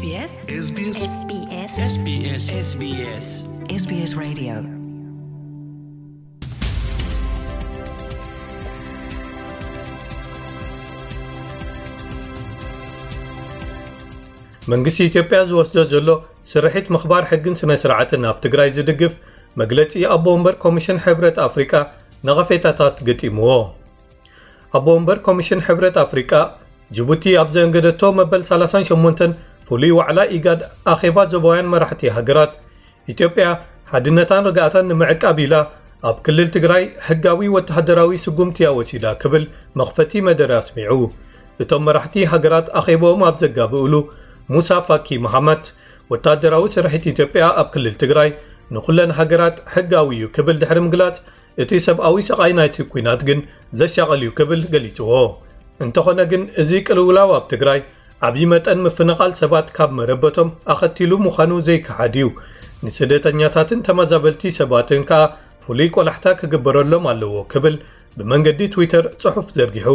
SBS SBS SBS SBS SBS Radio. መንግስቲ ኢትዮጵያ ዝወስዶ ዘሎ ስርሒት ምኽባር ሕግን ስነ ስርዓትን ኣብ ትግራይ ዝድግፍ መግለጺ ኣቦ ወንበር ኮሚሽን ሕብረት ኣፍሪቃ ነቐፌታታት ገጢምዎ። ኣቦ ወንበር ኮሚሽን ሕብረት ኣፍሪቃ፣ ጅቡቲ ኣብ ዘእንገደቶ መበል ሰላሳን ሸሞንተን ፍሉይ ዋዕላ ኢጋድ ኣኼባ ዞባውያን መራሕቲ ሃገራት፣ ኢትዮጵያ ሓድነታን ርግኣታን ንምዕቃብ ኢላ ኣብ ክልል ትግራይ ሕጋዊ ወተሃደራዊ ስጉምቲ እያ ወሲዳ ክብል መኽፈቲ መደረ ኣስሚዑ። እቶም መራሕቲ ሃገራት ኣኼባኦም ኣብ ዘጋብእሉ፣ ሙሳ ፋኪ መሓመት፣ ወተሃደራዊ ስርሒት ኢትዮጵያ ኣብ ክልል ትግራይ ንኹለን ሃገራት ሕጋዊ እዩ ክብል ድሕሪ ምግላጽ፣ እቲ ሰብኣዊ ስቓይ ናይቲ ኲናት ግን ዘሻቕል እዩ ክብል ገሊጽዎ። እንተኾነ ግን፣ እዚ ቅልውላው ኣብ ትግራይ ዓብዪ መጠን ምፍንቓል ሰባት ካብ መረበቶም ኣኸቲሉ ምዃኑ ዘይከሓድ እዩ። ንስደተኛታትን ተመዛበልቲ ሰባትን ከኣ ፍሉይ ቆላሕታ ክግበረሎም ኣለዎ ክብል ብመንገዲ ትዊተር ጽሑፍ ዘርጊሑ።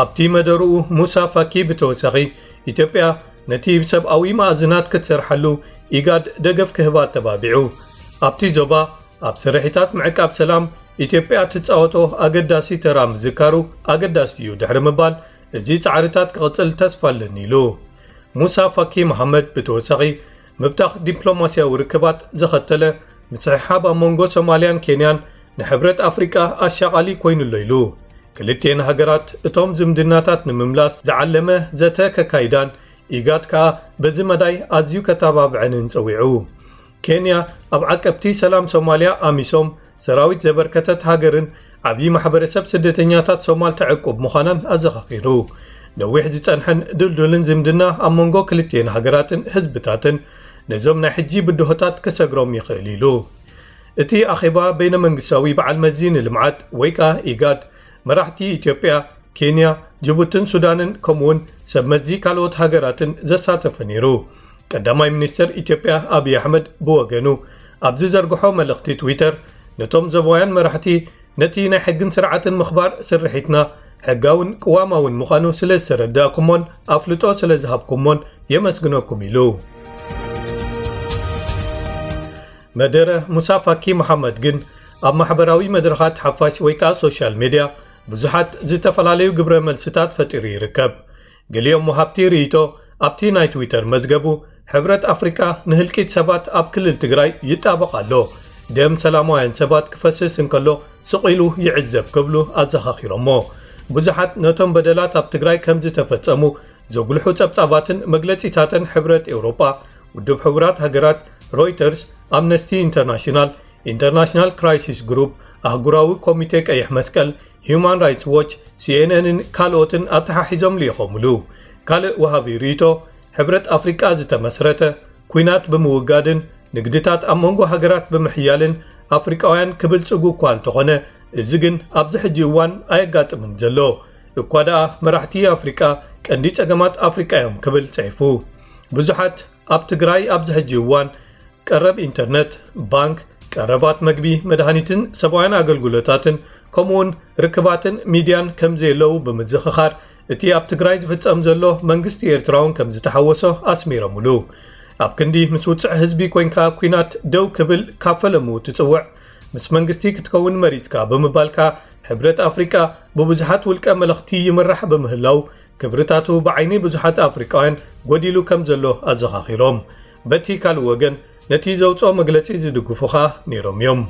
ኣብቲ መደርኡ፣ ሙሳ ፋኪ ብተወሳኺ፣ ኢትዮጵያ ነቲ ብሰብኣዊ መኣዝናት ክትሰርሓሉ ኢጋድ ደገፍ ክህባ ኣተባቢዑ። ኣብቲ ዞባ ኣብ ስርሒታት ምዕቃብ ሰላም ኢትዮጵያ ትጻወቶ ኣገዳሲ ተራ ምዝካሩ ኣገዳሲ እዩ ድሕሪ ምባል፣ እዚ ጻዕርታት ክቕጽል ተስፋ ኣለኒ ኢሉ። ሙሳ ፋኪ መሓመድ ብተወሳኺ፣ ምብታኽ ዲፕሎማስያዊ ርክባት ዘኸተለ ምስሕሓብ ኣብ መንጎ ሶማልያን ኬንያን ንሕብረት ኣፍሪቃ ኣሻቓሊ ኮይኑ'ሎ ኢሉ። ክልቲኤን ሃገራት እቶም ዝምድናታት ንምምላስ ዝዓለመ ዘተ ከካይዳን፣ ኢጋድ ከኣ በዚ መዳይ ኣዝዩ ከተባብዐንን ጸዊዑ። ኬንያ ኣብ ዓቀብቲ ሰላም ሶማልያ፣ ኣሚሶም፣ ሰራዊት ዘበርከተት ሃገርን ዓብዪ ማሕበረሰብ ስደተኛታት ሶማል ተዕቁብ ምዃናን ኣዘኻኺሩ። ነዊሕ ዝጸንሐን ድልዱልን ዝምድና ኣብ መንጎ ክልቲኤን ሃገራትን ህዝብታትን ነዞም ናይ ሕጂ ብድሆታት ክሰግሮም ይኽእል ኢሉ። እቲ ኣኼባ በይነ መንግስታዊ በዓል መዚ ንልምዓት ወይ ከኣ ኢጋድ፣ መራሕቲ ኢትዮጵያ፣ ኬንያ፣ ጅቡትን ሱዳንን ከምኡውን ሰብ መዚ ካልኦት ሃገራትን ዘሳተፈ ነይሩ። ቀዳማይ ሚኒስትር ኢትዮጵያ ኣብይ ኣሕመድ ብወገኑ ኣብ ዝዘርግሖ መልእኽቲ ትዊተር፣ ነቶም ዞባውያን መራሕቲ ነቲ ናይ ሕግን ስርዓትን ምኽባር ስርሒትና ሕጋውን ቅዋማውን ምዃኑ ስለ ዝተረዳእኩሞን ኣፍልጦ ስለ ዝሃብኩሞን የመስግነኩም ኢሉ። መደረ ሙሳ ፋኪ መሓመድ ግን ኣብ ማሕበራዊ መድረኻት ሓፋሽ ወይ ከኣ ሶሻል ሜድያ ብዙሓት ዝተፈላለዩ ግብረ መልስታት ፈጢሩ ይርከብ። ገሊኦም ወሃብቲ ርእይቶ ኣብቲ ናይ ትዊተር መዝገቡ፣ ሕብረት ኣፍሪቃ ንህልቂት ሰባት ኣብ ክልል ትግራይ ይጣበቕ ኣሎ፣ ደም ሰላማውያን ሰባት ክፈስስ እንከሎ ስቕ ኢሉ ይዕዘብ ክብሉ ኣዘኻኺሮሞ። ብዙሓት ነቶም በደላት ኣብ ትግራይ ከም ዝተፈጸሙ ዘጉልሑ ጸብጻባትን መግለጺታትን ሕብረት ኤውሮጳ፣ ውድብ ሕቡራት ሃገራት፣ ሮይተርስ፣ ኣምነስቲ ኢንተርናሽናል፣ ኢንተርናሽናል ክራይሲስ ግሩፕ፣ ኣህጉራዊ ኮሚቴ ቀይሕ መስቀል፣ ሂዩማን ራይትስ ዎች፣ ሲኤንኤንን ካልኦትን ኣተሓሒዞም ልኢኾምሉ። ካልእ ወሃቢ ርእይቶ፣ ሕብረት ኣፍሪቃ ዝተመስረተ፣ ኲናት ብምውጋድን ንግድታት ኣብ መንጎ ሃገራት ብምሕያልን ኣፍሪቃውያን ክብልጽጉ እኳ እንተኾነ፣ እዚ ግን ኣብዚ ሕጂ እዋን ኣየጋጥምን ዘሎ። እኳ ደኣ መራሕቲ ኣፍሪቃ ቀንዲ ጸገማት ኣፍሪቃ እዮም ክብል ጽሒፉ። ብዙሓት ኣብ ትግራይ ኣብዚ ሕጂ እዋን ቀረብ ኢንተርነት፣ ባንክ፣ ቀረባት መግቢ፣ መድሃኒትን ሰብኣውያን ኣገልግሎታትን፣ ከምኡውን ርክባትን ሚድያን ከም ዘየለዉ ብምዝኽኻር፣ እቲ ኣብ ትግራይ ዝፍጸም ዘሎ መንግስቲ ኤርትራ እውን ከም ዝተሓወሶ ኣስሚሮምሉ። ኣብ ክንዲ ምስ ውጽዕ ህዝቢ ኮይንካ ኲናት ደው ክብል ካብ ፈለሙ ትጽውዕ፣ ምስ መንግስቲ ክትከውን መሪጽካ ብምባልካ፣ ሕብረት ኣፍሪቃ ብብዙሓት ውልቀ መለኽቲ ይምራሕ ብምህላው፣ ክብርታቱ ብዓይኒ ብዙሓት ኣፍሪቃውያን ጎዲሉ ከም ዘሎ ኣዘኻኺሮም። በቲ ካልእ ወገን፣ ነቲ ዘውጽኦ መግለጺ ዝድግፉ ኸኣ ነይሮም እዮም።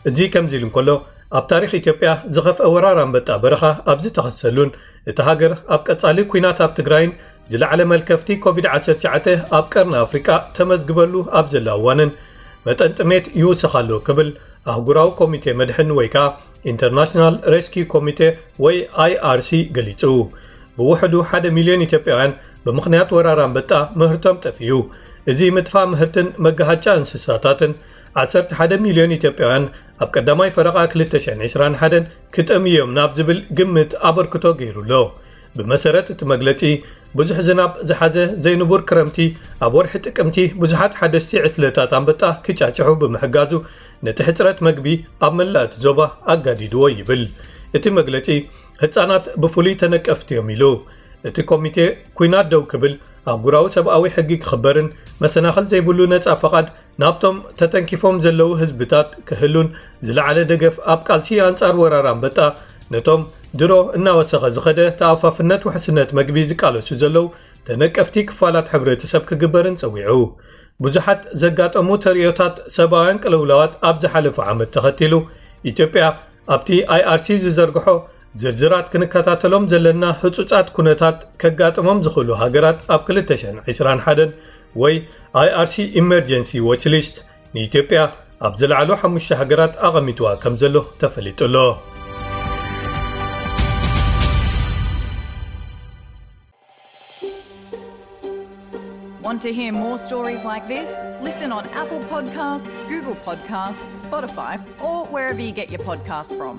እዚ ከምዚ ኢሉ እንከሎ፣ ኣብ ታሪኽ ኢትዮጵያ ዝኸፍአ ወራር ኣንበጣ በረኻ ኣብ ዝተኸሰሉን፣ እታ ሃገር ኣብ ቀጻሊ ኲናት ኣብ ትግራይን ዝለዓለ መልከፍቲ ኮቪድ ዓሰርተ ትሽዓተ ኣብ ቀርኒ ኣፍሪቃ ተመዝግበሉ ኣብ ዘላ እዋንን፣ መጠን ጥሜት ይውስኽ ኣሎ ክብል ኣህጉራዊ ኮሚቴ መድሕን ወይ ከኣ ኢንተርናሽናል ሬስኪዩ ኮሚቴ ወይ ኣይኣርሲ ገሊጹ። ብውሕዱ ሓደ ሚልዮን ኢትዮጵያውያን ብምኽንያት ወራር ኣንበጣ ምህርቶም ጠፊኡ። እዚ ምጥፋእ ምህርትን መጋሃጫ እንስሳታትን ዓሰርተ ሓደ ሚልዮን ኢትዮጵያውያን ኣብ ቀዳማይ ፈረቓ ክልተ ሽሕን ዕስራን ሓደን ክጠምዩ እዮም ናብ ዝብል ግምት ኣበርክቶ ገይሩ ኣሎ። ብመሰረት እቲ መግለጺ፣ ብዙሕ ዝናብ ዝሓዘ ዘይንቡር ክረምቲ ኣብ ወርሒ ጥቅምቲ ብዙሓት ሓደስቲ ዕስለታት ኣንበጣ ክጫጭሑ ብምሕጋዙ፣ ነቲ ሕጽረት መግቢ ኣብ መላእ እቲ ዞባ ኣጋዲድዎ ይብል። እቲ መግለጺ፣ ህጻናት ብፍሉይ ተነቀፍቲ እዮም ኢሉ። እቲ ኮሚቴ፣ ኲናት ደው ክብል፣ ኣህጉራዊ ሰብኣዊ ሕጊ ክኽበርን መሰናኽል ዘይብሉ ነጻ ፈቓድ ናብቶም ተተንኪፎም ዘለዉ ህዝብታት ክህሉን ዝለዓለ ደገፍ ኣብ ቃልሲ ኣንጻር ወራር ኣንበጣ ነቶም ድሮ እናወሰኸ ዝኸደ ተኣፋፍነት ውሕስነት መግቢ ዝቃለሱ ዘለዉ ተነቀፍቲ ክፋላት ሕብረተሰብ ክግበርን ጸዊዑ። ብዙሓት ዘጋጠሙ ተርእዮታት ሰብኣውያን ቅልውላዋት ኣብ ዝሓለፈ ዓመት ተኸቲሉ፣ ኢትዮጵያ ኣብቲ ኣይኣርሲ ዝዘርግሖ ዝርዝራት ክንከታተሎም ዘለና ህጹጻት ኩነታት ከጋጥሞም ዝኽእሉ ሃገራት ኣብ ክልተ ሽሕን ዕስራን ሓደን ወይ ኣይኣርሲ ኢመርጀንሲ ዎች ሊስት ንኢትዮጵያ ኣብ ዝለዓሉ ሓሙሽተ ሃገራት ኣቐሚጥዋ ከም ዘሎ ተፈሊጡ ኣሎ። Want to hear more stories like this? Listen on Apple Podcasts, Google Podcasts, Spotify, or wherever you get your podcasts from.